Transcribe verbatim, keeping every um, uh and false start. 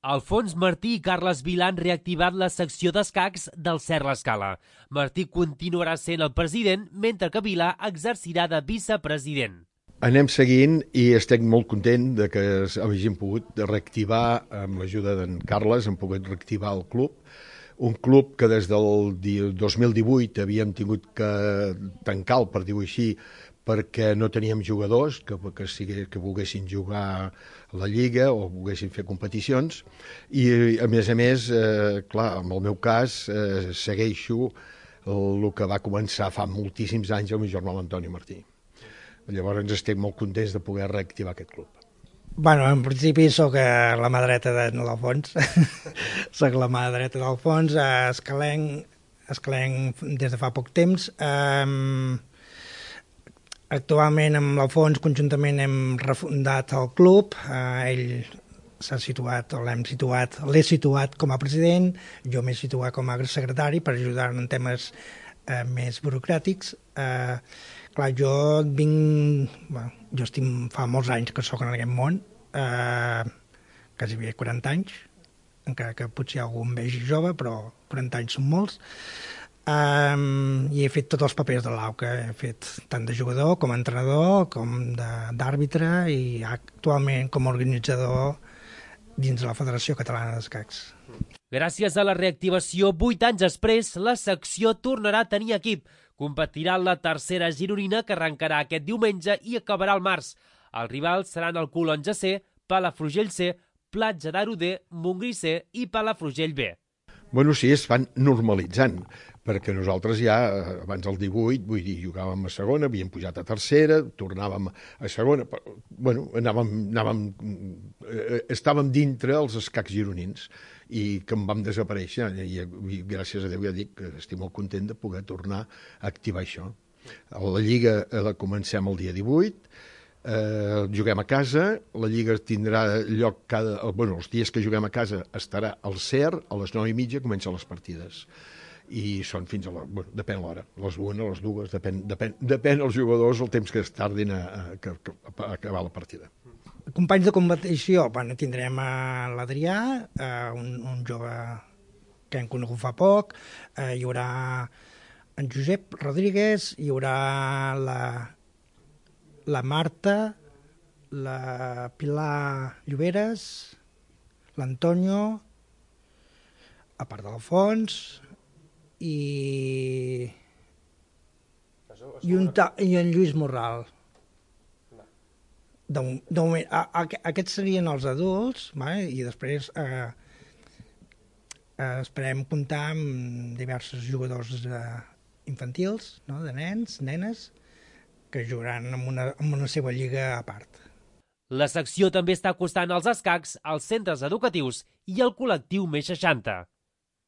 Alfons Martí i Carles Vilà han reactivat la secció d'escacs del Cert l'Escala. Martí continuarà sent el president, mentre que Vilà exercirà de vicepresident. Anem seguint i estic molt content de que hagin pogut reactivar, amb l'ajuda d'en Carles, hem pogut reactivar el club. Un club que des del dos mil divuit havíem tingut que tancar, per dir-ho així, perquè no teníem jugadors que, que, sigui, que volguessin jugar a la Lliga o volguessin fer competicions. I, a més a més, eh, clar, en el meu cas, eh, segueixo el, el que va començar fa moltíssims anys el meu germà l'Antoni Martí. Llavors ens estem molt contents de poder reactivar aquest club. Bueno, en principi sóc la mà dreta de l'Alfons, sóc la mà dreta d'Alfons, escalenc, escalenc des de fa poc temps. Um, actualment amb l'Alfons conjuntament hem refundat el club, uh, ell s'ha situat, o l'hem situat, l'he situat com a president, jo m'he situat com a secretari per ajudar en temes uh, més burocràtics. Uh, clar, jo vinc, bueno, jo estic fa molts anys que sóc en aquest món, eh, quasi bé quaranta anys, encara que potser algú em vegi jove, però quaranta anys són molts, eh, i he fet tots els papers de l'A U C A, he fet tant de jugador com a entrenador, com d'àrbitre i actualment com a organitzador dins de la Federació Catalana d'Escacs. Gràcies a la reactivació, vuit anys després, la secció tornarà a tenir equip. Competirà en la tercera gironina, que arrencarà aquest diumenge i acabarà al març. Els rivals seran el Colonja C, Palafrugell C, Platja d'Aro D, Montgrí C i Palafrugell B. Bueno, sí, es van normalitzant, perquè nosaltres ja, abans del divuit, vull dir, jugàvem a segona, havíem pujat a tercera, tornàvem a segona, però, bueno, anàvem, anàvem, eh, estàvem dintre els escacs gironins i que en vam desaparèixer, i, i gràcies a Déu ja dic que estic molt content de poder tornar a activar això. La Lliga la comencem el dia divuit, Eh, juguem a casa, la Lliga tindrà lloc cada... Bueno, els dies que juguem a casa estarà al Cert, a les nou i mitja comencen les partides. I són fins a la... Bueno, depèn l'hora, les una, les dues, depèn, depèn, depèn els jugadors el temps que es tardin a, a, a, a acabar la partida. Companys de competició, bueno, tindrem a l'Adrià, eh, un, un jove que hem conegut fa poc, eh, hi haurà en Josep Rodríguez, hi haurà la... la Marta, la Pilar Lloberes, l'Antonio, a part de l'Alfons, i... I, un ta... i en Lluís Morral. De, de moment, a, a, aquests serien els adults, vale? I després eh, eh, esperem comptar amb diversos jugadors eh, infantils, no? De nens, nenes, que jugaran en una, en una seva lliga a part. La secció també està acostant els escacs als centres educatius i al col·lectiu més seixanta.